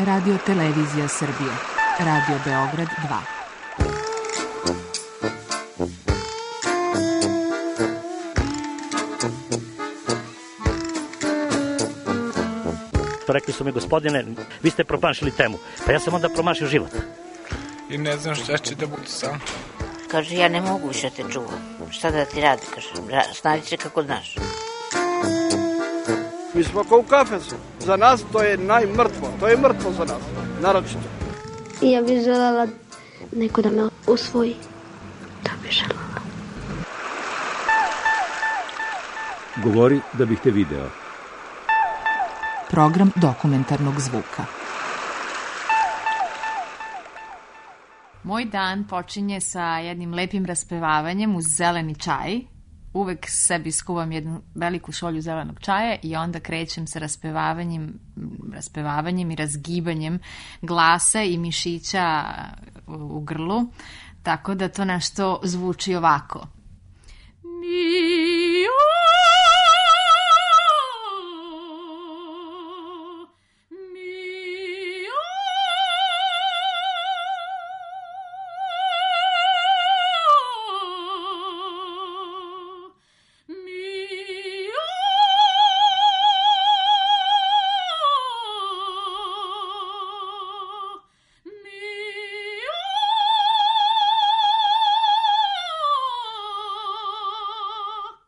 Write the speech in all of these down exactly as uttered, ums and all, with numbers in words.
Radio Televizija Srbije, Radio Beograd dva. Rekli su mi, gospodine, vi ste promašili temu. Pa ja sam onda promašio život. I ne znam šta će da bude sam. Kaže, ja ne mogu više te čuvam. Šta da ti radi, kaže, snađi se kako znaš. Mi smo kao u kafesu. Za nas to je najmrtvo. To je mrtvo za nas, naročito. I ja bih želela neko da me usvoji. To bih želela. Govori da bih te video. Program dokumentarnog zvuka. Moj dan počinje sa jednim lepim raspevavanjem uz zeleni čaj. Uvek sebi skuvam jednu veliku šolju zelenog čaja i onda krećem sa raspevavanjem, raspevavanjem i razgibanjem glasa i mišića u grlu. Tako da to nešto zvuči ovako.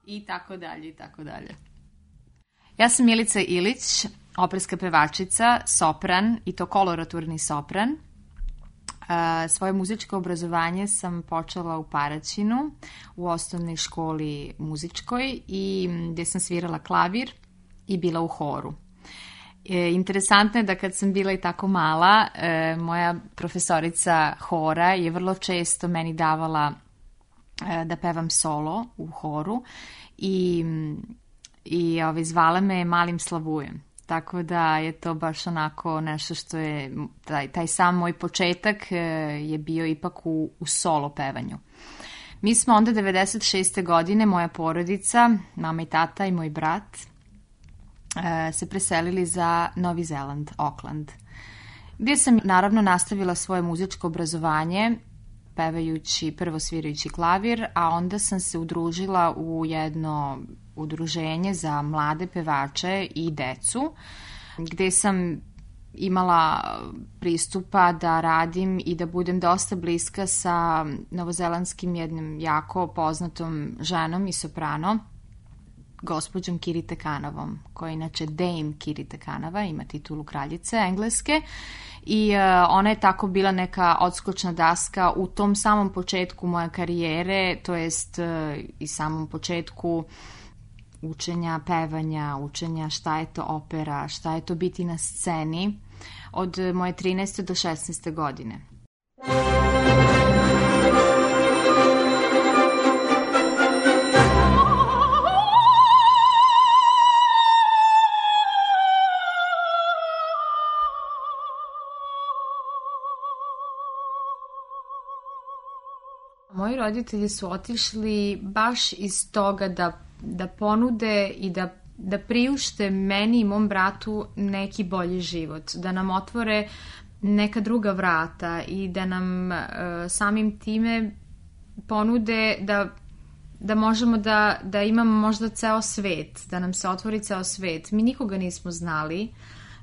I tako dalje, i tako dalje. Ja sam Milica Ilić, operska pevačica, sopran, i to koloraturni sopran. Uh, svoje muzičko obrazovanje sam počela u Paraćinu, u osnovnoj školi muzičkoj, i gdje sam svirala klavir i bila u horu. E, interesantno je da kad sam bila i tako mala, e, moja profesorica hora je vrlo često meni davala e, da pevam solo u horu i, i ove, zvala me Malim Slavujem. Tako da je to baš onako nešto što je, taj, taj sam moj početak je bio ipak u, u solo pevanju. Mi smo onda devedeset šeste godine, moja porodica, mama i tata i moj brat, se preselili za Novi Zeland, Auckland, gdje sam naravno nastavila svoje muzičko obrazovanje, pevajući, prvo svirajući klavir, a onda sam se udružila u jedno udruženje za mlade pevače i decu, gdje sam imala pristupa da radim i da budem dosta bliska sa novozelandskim jednim jako poznatom ženom i soprano, gospođom Kirite Kanovom, koja je inače Dame Kirite Kanova, ima titulu kraljice engleske, i uh, ona je tako bila neka odskočna daska u tom samom početku moje karijere, to jest uh, i samom početku učenja pevanja, učenja šta je to opera, šta je to biti na sceni, od moje trinaeste do šesnaeste godine. Moji roditelji su otišli baš iz toga da, da ponude i da, da priušte meni i mom bratu neki bolji život, da nam otvore neka druga vrata i da nam e, samim time ponude da, da možemo da, da imamo možda ceo svet, da nam se otvori ceo svet. Mi nikoga nismo znali,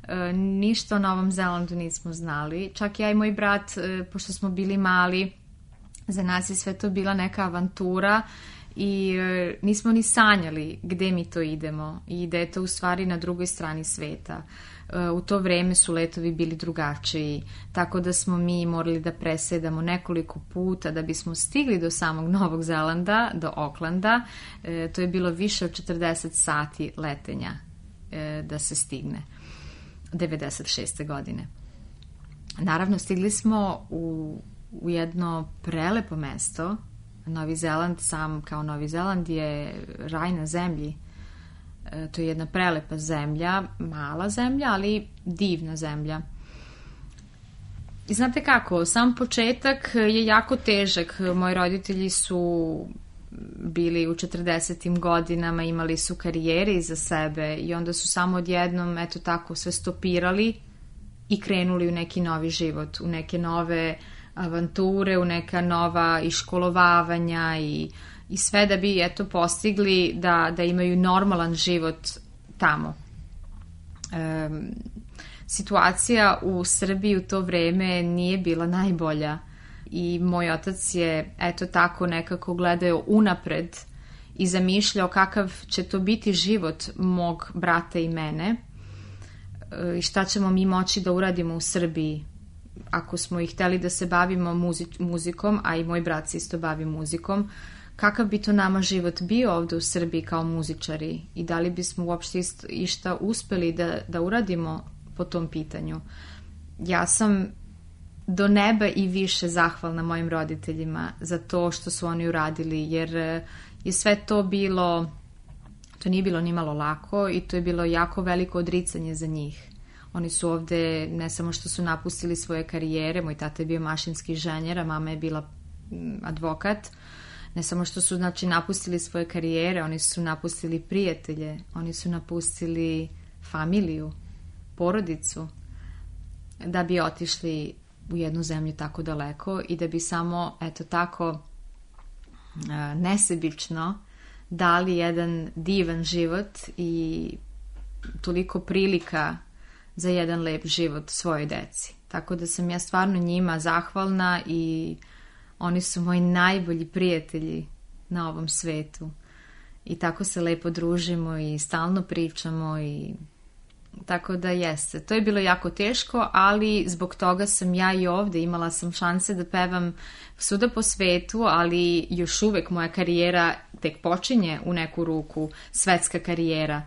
e, ništa o Novom Zelandu nismo znali, čak ja i moj brat, e, pošto smo bili mali, za nas je sve to bila neka avantura i e, nismo ni sanjali gde mi to idemo i da je to u stvari na drugoj strani sveta. E, u to vreme su letovi bili drugačiji, tako da smo mi morali da presedamo nekoliko puta da bismo stigli do samog Novog Zelanda, do Aucklanda. E, to je bilo više od četrdeset sati letenja e, da se stigne, devedeset šeste godine. Naravno, stigli smo u u jedno prelepo mesto. Novi Zeland, sam kao Novi Zeland, je raj na zemlji. E, to je jedna prelepa zemlja, mala zemlja, ali divna zemlja. I znate kako, sam početak je jako težak. Moji roditelji su bili u četrdesetim godinama, imali su karijere iza sebe i onda su samo odjednom, eto tako, sve stopirali i krenuli u neki novi život, u neke nove avanture, u neka nova iškolovavanja i, i sve da bi eto postigli da, da imaju normalan život tamo. E, situacija u Srbiji u to vreme nije bila najbolja i moj otac je eto tako nekako gledao unapred i zamišljao kakav će to biti život mog brata i mene i šta ćemo mi moći da uradimo u Srbiji ako smo i hteli da se bavimo muzi- muzikom, a i moj brat se isto bavi muzikom, kakav bi to nama život bio ovde u Srbiji kao muzičari i da li bismo uopšte ist, išta uspeli da, da uradimo po tom pitanju. Ja sam do neba i više zahvalna mojim roditeljima za to što su oni uradili, jer je sve to bilo, to nije bilo ni malo lako i to je bilo jako veliko odricanje za njih. Oni su ovde, ne samo što su napustili svoje karijere, moj tata je bio mašinski inženjer, a mama je bila advokat, ne samo što su znači napustili svoje karijere, oni su napustili prijatelje, oni su napustili familiju, porodicu, da bi otišli u jednu zemlju tako daleko i da bi samo, eto tako, nesebično dali jedan divan život i toliko prilika za jedan lep život svojoj deci. Tako da sam ja stvarno njima zahvalna i oni su moji najbolji prijatelji na ovom svetu. I tako se lepo družimo i stalno pričamo i tako da jeste. To je bilo jako teško, ali zbog toga sam ja i ovde imala sam šanse da pevam svuda po svetu, ali još uvek moja karijera tek počinje u neku ruku, svetska karijera.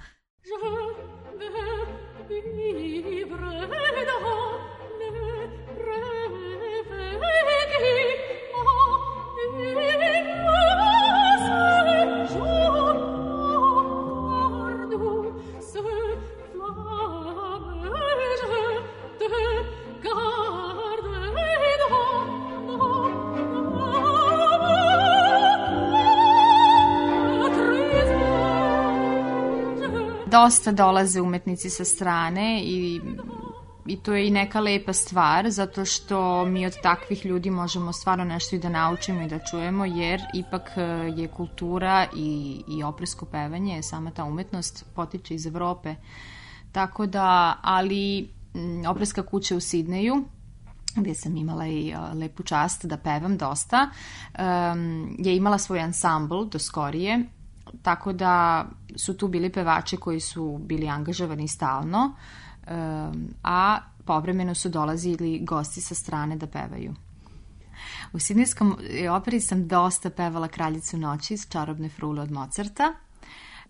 Dosta dolaze umetnici sa strane i, i to je i neka lepa stvar, zato što mi od takvih ljudi možemo stvarno nešto i da naučimo i da čujemo, jer ipak je kultura i, i opersko pevanje, sama ta umetnost potiče iz Evrope. Tako da, ali operska kuća u Sidneju, gdje sam imala i lepu čast da pevam dosta, je imala svoj ansambl do skorije, tako da su tu bili pevači koji su bili angažovani stalno, a povremeno su dolazili gosti sa strane da pevaju. U sidnejskom operi sam dosta pevala Kraljicu noći iz Čarobne frule od Mozarta,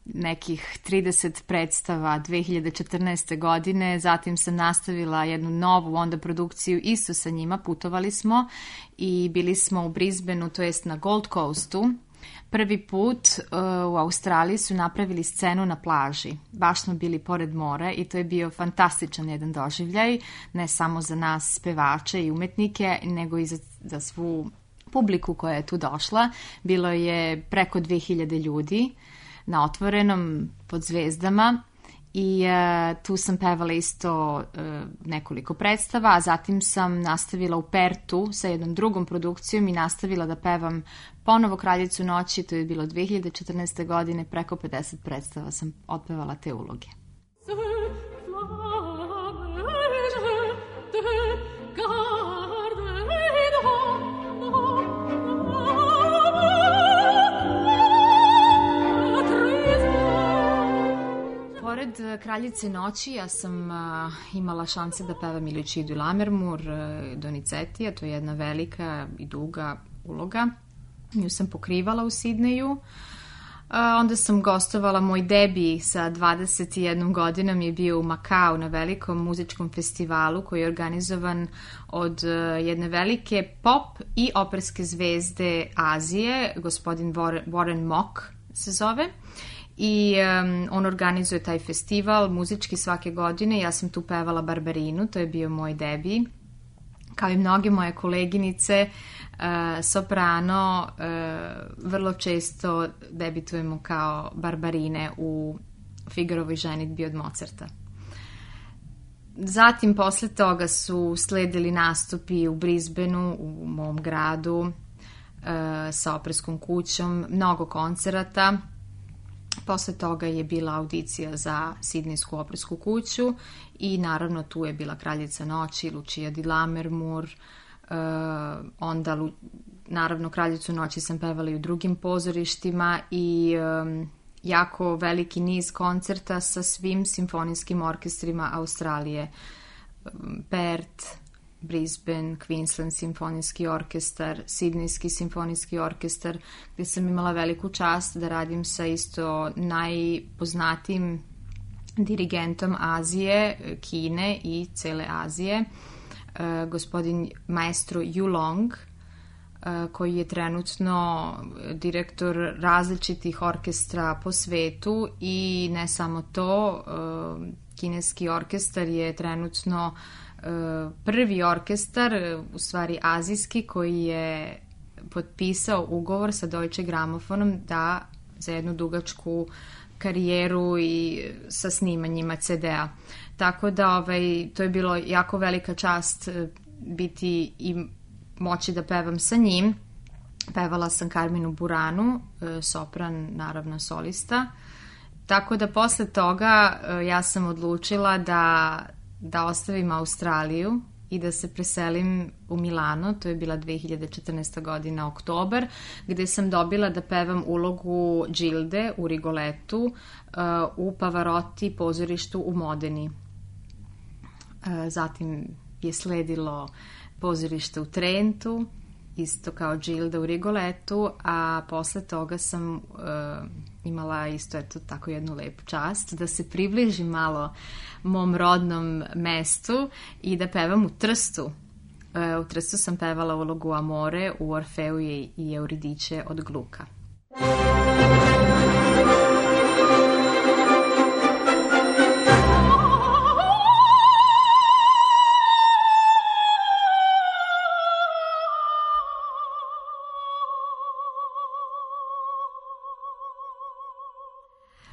nekih trideset predstava dve hiljade četrnaeste. godine, zatim sam nastavila jednu novu onda produkciju isto sa njima, putovali smo i bili smo u Brisbaneu, to jest na Gold Coastu. Prvi put uh, u Australiji su napravili scenu na plaži. Baš smo bili pored mora i to je bio fantastičan jedan doživljaj, ne samo za nas pevače i umetnike, nego i za, za svu publiku koja je tu došla. Bilo je preko dve hiljade ljudi na otvorenom pod zvezdama i uh, tu sam pevala isto uh, nekoliko predstava, a zatim sam nastavila u Pertu sa jednom drugom produkcijom i nastavila da pevam ponovo Kraljicu noći, to je bilo dve hiljade četrnaeste. godine, preko pedeset predstava sam otpevala te uloge. Pored Kraljice noći ja sam uh, imala šanse da pevam i Lucidu i Lammermoor, uh, Donizetti, to je jedna velika i duga uloga. Nju sam pokrivala u Sidneju. Uh, onda sam gostovala, moj debi sa dvadeset jednom godinom je bio u Makau na velikom muzičkom festivalu koji je organizovan od uh, jedne velike pop i operske zvezde Azije, gospodin Warren Mock se zove. I um, on organizuje taj festival muzički svake godine. Ja sam tu pevala Barbarinu, to je bio moj debi. Kao i mnoge moje koleginice, uh, soprano, uh, vrlo često debitujemo kao Barbarine u Figarovoj ženidbi od Mozarta. zatim posle toga su sledili nastupi u Brisbaneu, u mom gradu, sa operskom kućom, mnogo koncerata. Posle toga je bila audicija za Sidnejsku opersku kuću i naravno tu je bila Kraljica noći, Lucia di Lammermoor, onda naravno Kraljicu noći sam pevala i u drugim pozorištima i jako veliki niz koncerta sa svim simfonijskim orkestrima Australije. Perth, Brisbane, Queensland simfonijski orkestar, Sidnejski simfonijski orkestar, gde sam imala veliku čast da radim sa isto najpoznatijim dirigentom Azije, Kine i cele Azije, gospodin maestro Yu Long, koji je trenutno direktor različitih orkestra po svetu i ne samo to, kineski orkestar je trenutno prvi orkestar, u stvari azijski, koji je potpisao ugovor sa Deutsche Grammofonom da za jednu dugačku karijeru i sa snimanjima ce de-a. Tako da ovaj, to je bilo jako velika čast biti i moći da pevam sa njim. Pevala sam Carminu Buranu, sopran, naravno solista. Tako da posle toga ja sam odlučila da, da ostavim Australiju i da se preselim u Milano. To je bila dve hiljade četrnaesta. godina, oktobar, gde sam dobila da pevam ulogu Gilde u Rigolettu u Pavarotti pozorištu u Modeni. Zatim je sledilo pozorište u Trentu, isto kao Gilda u Rigolettu, a posle toga sam uh, imala isto eto tako jednu lepu čast da se približim malo mom rodnom mestu i da pevam u Trstu. Uh, u Trstu sam pevala ulogu Amore u Orfeu i, i Euridice od Gluka.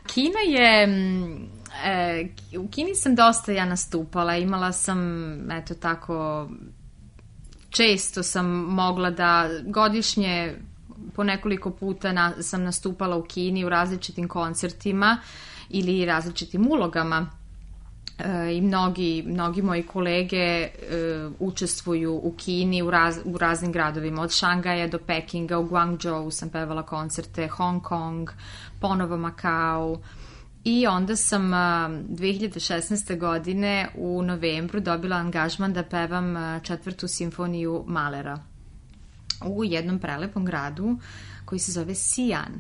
Kina je, e, u Kini sam dosta ja nastupala, imala sam, eto tako, često sam mogla da godišnje po nekoliko puta na, sam nastupala u Kini u različitim koncertima ili različitim ulogama. E, i mnogi, mnogi moji kolege e, učestvuju u Kini u, raz, u raznim gradovima, od Šangaja do Pekinga, u Guangzhou sam pevala koncerte, Hong Kong, ponovo Makao, i onda sam dve hiljade šesnaeste. godine u novembru dobila angažman da pevam četvrtu simfoniju Mahlera u jednom prelepom gradu koji se zove Xi'an.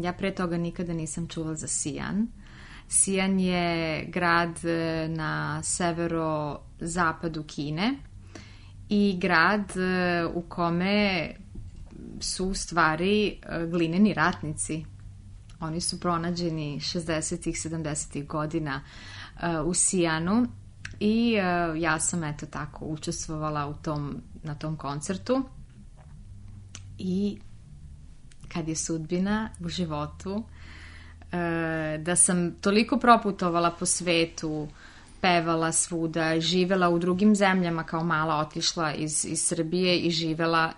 Ja pre toga nikada nisam čula za Xi'an. Xi'an je grad na severozapadu Kine i grad u kome su u stvari glineni ratnici. Oni su pronađeni šezdesetih, sedamdesetih godina u Xi'anu i ja sam eto tako učestvovala u tom, na tom koncertu. I kad je sudbina u životu, da sam toliko proputovala po svetu, pevala svuda, živela u drugim zemljama, kao mala otišla iz, iz Srbije i živela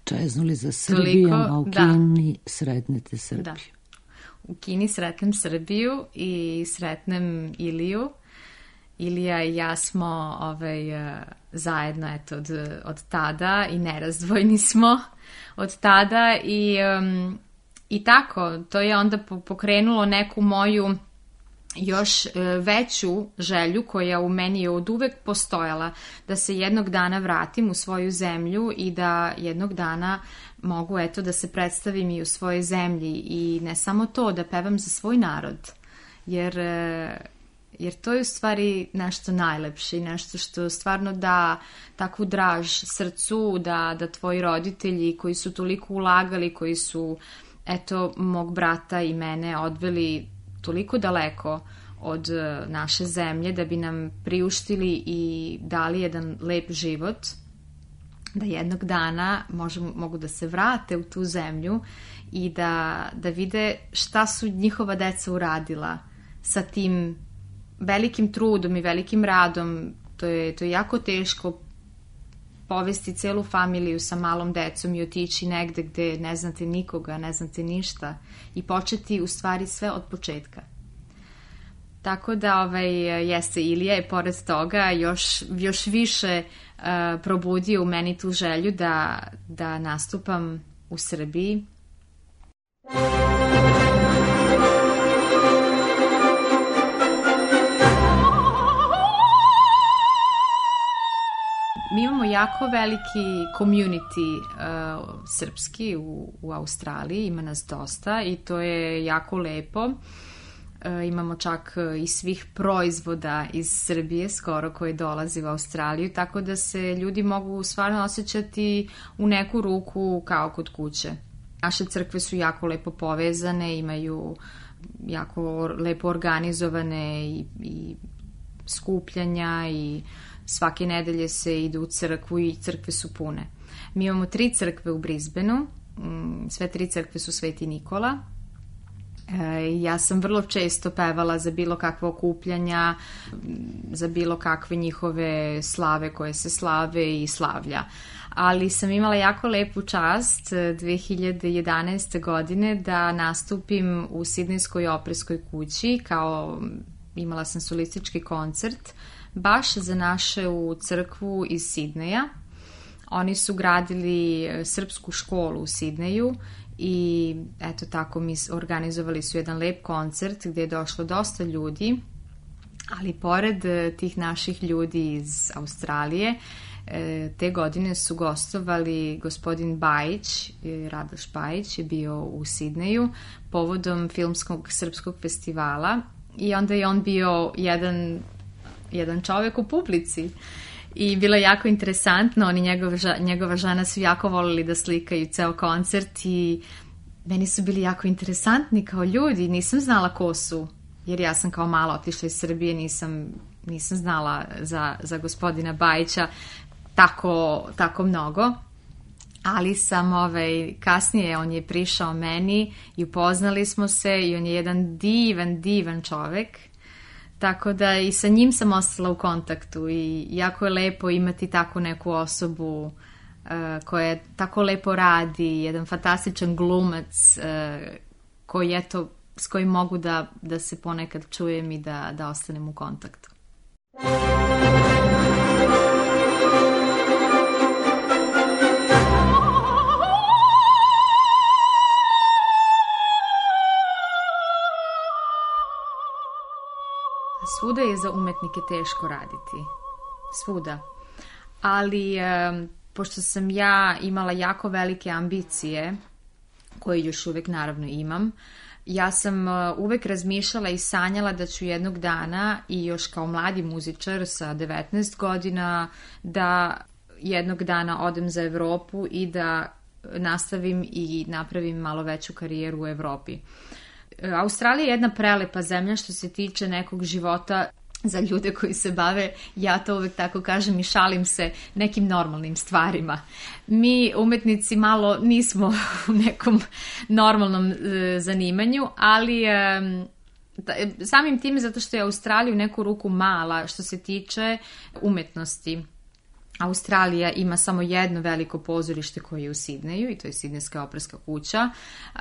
čeznuli za Srbijom, toliko, a u Kini da. Sretnete Srbiju. Da. U Kini sretnem Srbiju i sretnem Iliju. Ilija i ja smo ovaj, zajedno eto, od, od tada i nerazdvojni smo od tada i, um, i tako, to je onda pokrenulo neku moju još veću želju koja u meni je od uvek postojala, da se jednog dana vratim u svoju zemlju i da jednog dana mogu eto da se predstavim i u svojoj zemlji i ne samo to, da pevam za svoj narod, jer, jer to je u stvari nešto najlepše i nešto što stvarno da takvu draž srcu, da, da tvoji roditelji koji su toliko ulagali, koji su eto mog brata i mene odveli toliko daleko od naše zemlje da bi nam priuštili i dali jedan lep život, da jednog dana možemo, mogu da se vrate u tu zemlju i da, da vide šta su njihova deca uradila sa tim velikim trudom i velikim radom, to je, to je jako teško povesti celu familiju sa malom decom i otići negde gde ne znate nikoga, ne znate ništa i početi u stvari sve od početka. Tako da ovaj, jeste Ilija je pored toga još, još više uh, probudio u meni tu želju da, da nastupam u Srbiji. Mi imamo jako veliki community uh, srpski u, u Australiji, ima nas dosta i to je jako lepo. Uh, imamo čak i svih proizvoda iz Srbije skoro koji dolazi u Australiju, tako da se ljudi mogu stvarno osjećati u neku ruku kao kod kuće. Naše crkve su jako lepo povezane, imaju jako lepo organizovane i, i skupljanja i svake nedelje se ide u crkvu i crkve su pune. Mi imamo tri crkve u Brisbaneu, sve tri crkve su Sveti Nikola. Ja sam vrlo često pevala za bilo kakve okupljanja, za bilo kakve njihove slave koje se slave i slavlja. Ali sam imala jako lepu čast dve hiljade jedanaeste. godine da nastupim u Sidnejskoj operskoj kući, kao imala sam solistički koncert baš za našu crkvu iz Sidneja. Oni su gradili srpsku školu u Sidneju i eto tako mi organizovali su jedan lep koncert gdje je došlo dosta ljudi, ali pored tih naših ljudi iz Australije, te godine su gostovali gospodin Bajić, Radoš Bajić je bio u Sidneju povodom filmskog srpskog festivala i onda je on bio jedan, jedan čovjek u publici. I bilo je jako interesantno, oni njegova, njegova žena su jako volili da slikaju ceo koncert i meni su bili jako interesantni kao ljudi, nisam znala ko su, jer ja sam kao mala otišla iz Srbije, nisam, nisam znala za, za gospodina Bajića tako, tako mnogo, ali sam ovaj, kasnije on je prišao meni i upoznali smo se i on je jedan divan, divan čovek. Tako da i sa njim sam ostala u kontaktu i jako je lepo imati takvu neku osobu uh, koja tako lepo radi, jedan fantastičan glumac uh, koji eto, s kojim mogu da, da se ponekad čujem i da, da ostanem u kontaktu. Svuda je za umetnike teško raditi. Svuda. Ali e, pošto sam ja imala jako velike ambicije, koje još uvek naravno imam, ja sam e, uvek razmišljala i sanjala da ću jednog dana i još kao mladi muzičar sa devetnaest godina da jednog dana odem za Evropu i da nastavim i napravim malo veću karijeru u Evropi. Australija je jedna prelepa zemlja što se tiče nekog života za ljude koji se bave, ja to uvek tako kažem i šalim se, nekim normalnim stvarima. Mi umetnici malo nismo u nekom normalnom e, zanimanju, ali e, samim tim zato što je Australija u neku ruku mala što se tiče umetnosti. Australija ima samo jedno veliko pozorište koje je u Sidneju i to je Sidnejska operska kuća.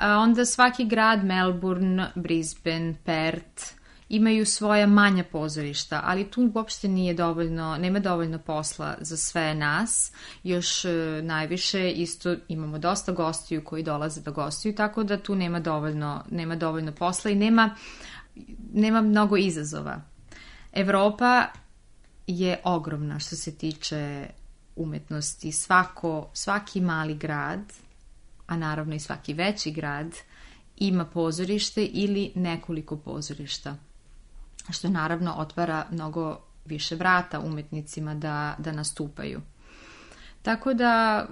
Onda svaki grad, Melbourne, Brisbane, Perth, imaju svoja manja pozorišta, ali tu uopšte nije dovoljno, nema dovoljno posla za sve nas. Još najviše isto imamo dosta gostiju koji dolaze da gostuju, tako da tu nema dovoljno, nema dovoljno posla i nema, nema mnogo izazova. Evropa je ogromna što se tiče umetnosti. Svako, svaki mali grad, a naravno i svaki veći grad, ima pozorište ili nekoliko pozorišta, što naravno otvara mnogo više vrata umetnicima da, da nastupaju. Tako da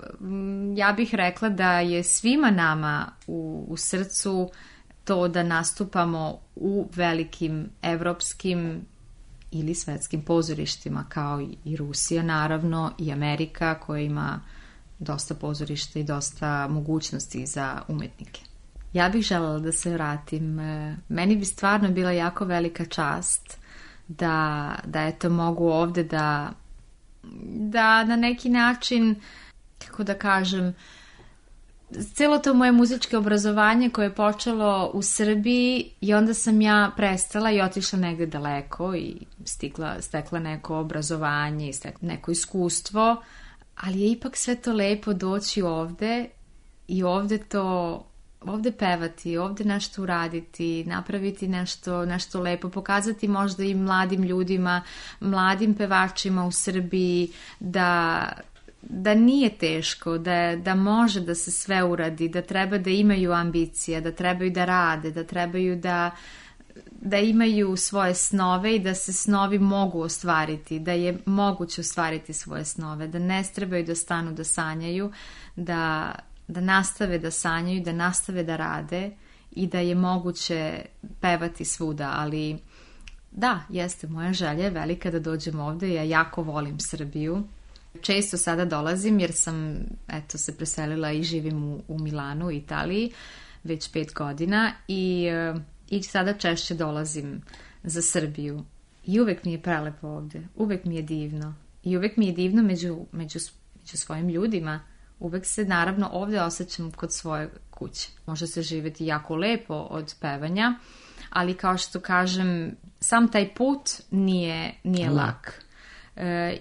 ja bih rekla da je svima nama u, u srcu to da nastupamo u velikim evropskim ili svetskim pozorištima, kao i Rusija naravno i Amerika koja ima dosta pozorišta i dosta mogućnosti za umetnike. Ja bih željela da se vratim. Meni bi stvarno bila jako velika čast da, da eto mogu ovde da, da na neki način, kako da kažem, celo to moje muzičko obrazovanje koje je počelo u Srbiji i onda sam ja prestala i otišla negde daleko i stigla, stekla neko obrazovanje i stekla neko iskustvo, ali je ipak sve to lepo doći ovde i ovde to, ovde pevati, ovde nešto uraditi, napraviti nešto, nešto lepo, pokazati možda i mladim ljudima, mladim pevačima u Srbiji da... da nije teško, da, da može da se sve uradi, da treba da imaju ambicije, da trebaju da rade, da trebaju da, da imaju svoje snove i da se snovi mogu ostvariti, da je moguće ostvariti svoje snove, da ne trebaju da stanu da sanjaju, da, da nastave da sanjaju, da nastave da rade i da je moguće pevati svuda, ali da, jeste, moja želja je velika da dođem ovde, ja jako volim Srbiju. Često sada dolazim jer sam eto, se preselila i živim u, u Milanu, u Italiji, već pet godina i, i sada češće dolazim za Srbiju. I uvek mi je prelepo ovde, uvek mi je divno. I uvek mi je divno među, među, među svojim ljudima. Uvek se naravno ovde osjećam kod svoje kuće. Može se živjeti jako lepo od pevanja, ali kao što kažem, sam taj put nije, nije lak. lak.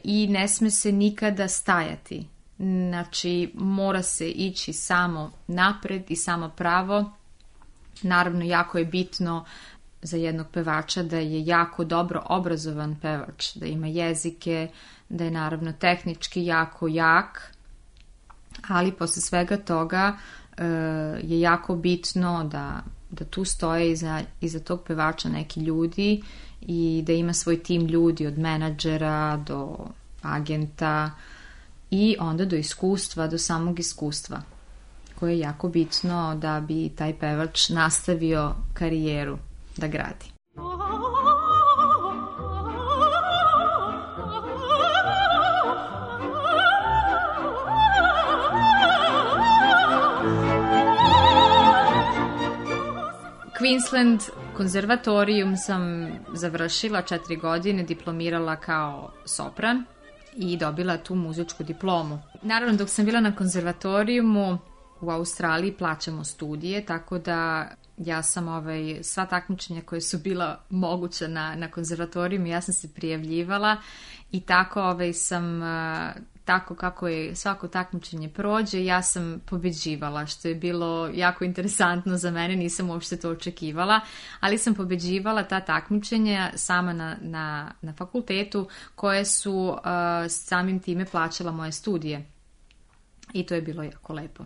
I ne sme se nikada stajati. Znači, mora se ići samo napred i samo pravo. Naravno, jako je bitno za jednog pevača da je jako dobro obrazovan pevač, da ima jezike, da je naravno tehnički jako jak, ali posle svega toga je jako bitno da, da tu stoje iza, iza tog pevača neki ljudi i da ima svoj tim ljudi od menadžera do agenta i onda do iskustva, do samog iskustva koje je jako bitno da bi taj pevač nastavio karijeru da gradi. Queensland konzervatorijum sam završila četiri godine, diplomirala kao sopran i dobila tu muzičku diplomu. Naravno, dok sam bila na konzervatorijumu u Australiji plaćamo studije, tako da ja sam ovaj, sva takmičenja koje su bila moguća na, na konzervatorijumu, ja sam se prijavljivala i tako ovaj, sam... tako kako je svako takmičenje prođe, ja sam pobeđivala, što je bilo jako interesantno za mene, nisam uopšte to očekivala, ali sam pobeđivala ta takmičenja sama na, na, na fakultetu koje su uh, samim time plaćala moje studije. I to je bilo jako lepo.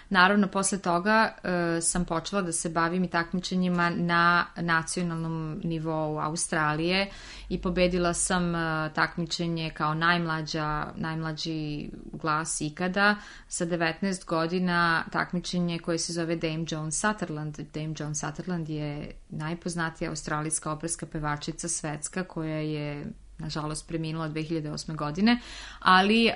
Naravno, posle toga uh, sam počela da se bavim i takmičenjima na nacionalnom nivou Australije i pobedila sam uh, takmičenje kao najmlađa, najmlađi glas ikada sa devetnaest godina, takmičenje koje se zove Dame Joan Sutherland. Dame Joan Sutherland je najpoznatija australijska operska pevačica svetska koja je nažalost preminula dve hiljade osme godine, ali uh,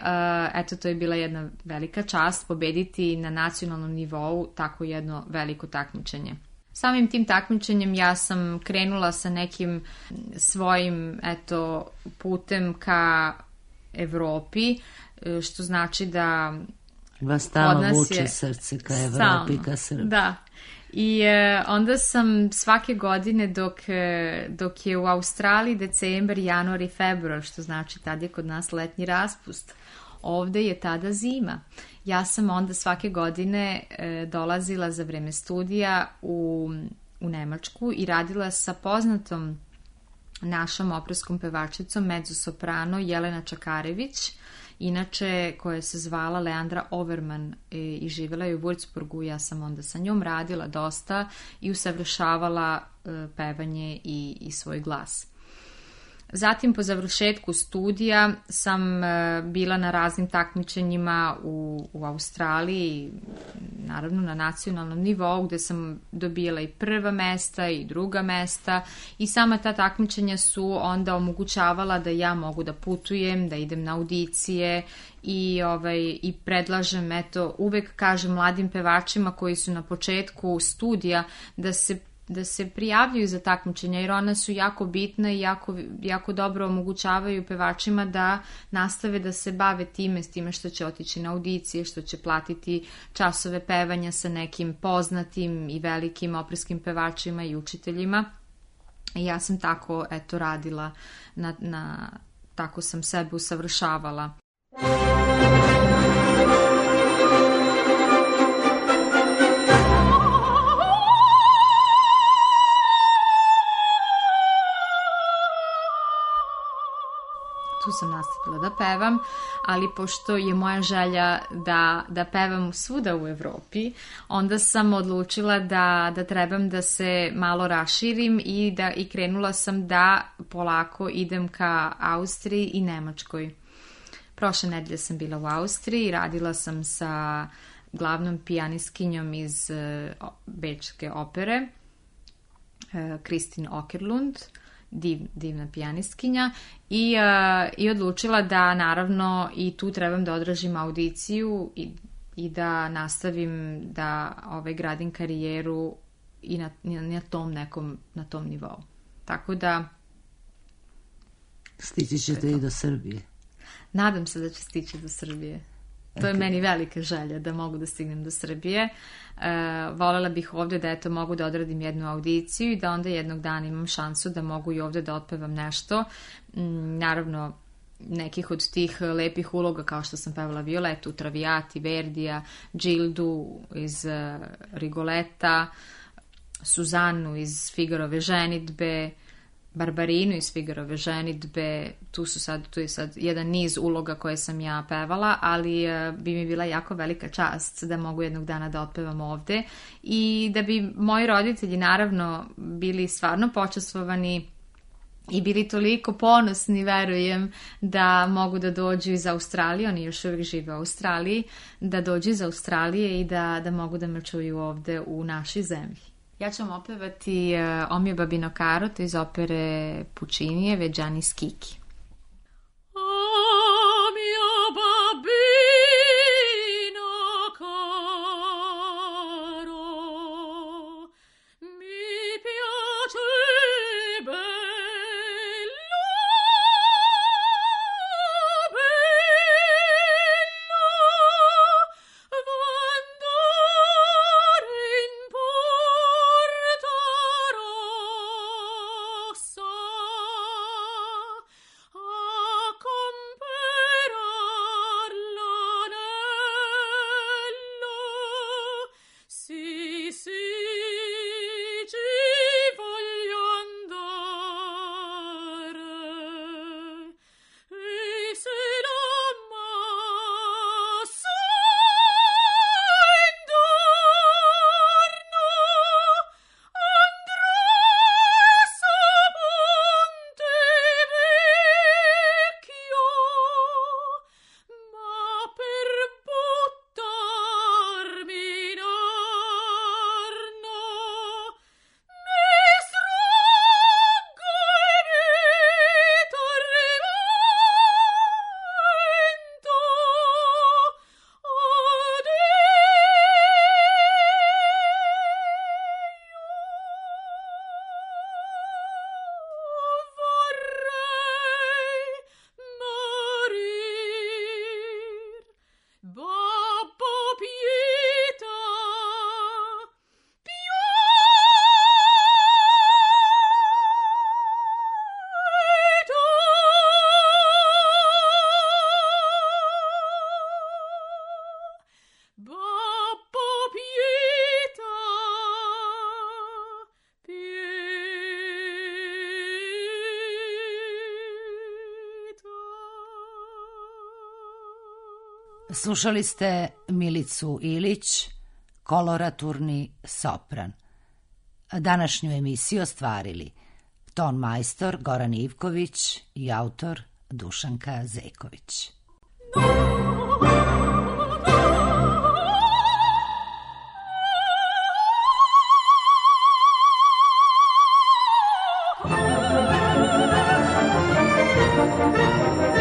eto to je bila jedna velika čast pobediti na nacionalnom nivou tako jedno veliko takmičenje. Samim tim takmičenjem ja sam krenula sa nekim svojim eto putem ka Evropi, što znači da vas tamo vuče srce ka Evropi, ka Srbiji. Da. I e, onda sam svake godine dok, e, dok je u Australiji decembar, januar i februar, što znači tad je kod nas letnji raspust, ovde je tada zima. Ja sam onda svake godine e, dolazila za vreme studija u, u Nemačku i radila sa poznatom našom operskom pevačicom mezzosoprano Jelena Čakarević, inače koja se zvala Leandra Overman i, i živjela je u Würzburgu. Ja sam onda sa njom radila dosta i usavršavala e, pevanje i, i svoj glas. Zatim po završetku studija sam e, bila na raznim takmičenjima u, u Australiji, naravno na nacionalnom nivou gde sam dobijala i prva mesta i druga mesta i sama ta takmičenja su onda omogućavala da ja mogu da putujem, da idem na audicije i, ovaj, i predlažem, eto, uvek kažem mladim pevačima koji su na početku studija da se da se prijavljuju za takmičenja, jer ona su jako bitna i jako, jako dobro omogućavaju pevačima da nastave da se bave time, s time što će otići na audicije, što će platiti časove pevanja sa nekim poznatim i velikim operskim pevačima i učiteljima. I ja sam tako, eto, radila, na, na, tako sam sebe usavršavala. Tu sam nastavila da pevam, ali pošto je moja želja da, da pevam svuda u Evropi, onda sam odlučila da, da trebam da se malo raširim i, da, i krenula sam da polako idem ka Austriji i Nemačkoj. Prošle nedelje sam bila u Austriji, radila sam sa glavnom pijanistkinjom iz uh, Bečke opere, uh, Kristin Åkerlund, Div, divna pijanistkinja i, uh, i odlučila da naravno i tu trebam da odražim audiciju i, i da nastavim da ovaj, gradim karijeru i na, na tom nekom, na tom nivou. Tako da stići ćete i do Srbije. Nadam se da će stići do Srbije. To je okay. Meni velika želja da mogu da stignem do Srbije. Uh, volela bih ovdje da eto mogu da odradim jednu audiciju i da onda jednog dana imam šansu da mogu i ovdje da otpevam nešto. Mm, naravno, nekih od tih lepih uloga kao što sam pevala Violetu, Traviati, Verdija, Gildu iz uh, Rigoleta, Suzanu iz Figarove ženidbe, Barbarinu iz Figarove ženidbe, tu su sad, tu je sad jedan niz uloga koje sam ja pevala, ali uh, bi mi bila jako velika čast da mogu jednog dana da otpevam ovde i da bi moji roditelji naravno bili stvarno počastvovani i bili toliko ponosni, verujem, da mogu da dođu iz Australije, oni još uvijek žive u Australiji, da dođu iz Australije i da, da mogu da me čuju ovde u našoj zemlji. Ja ću vam opevati uh, O mio babino caro, to iz opere Puccinije, Veggiani Schicchi. O mio babino caro, mi piace bello, Slušali ste Milicu Ilić, koloraturni sopran. Današnju emisiju ostvarili ton majstor Goran Ivković i autor Dušanka Zeković. Thank you.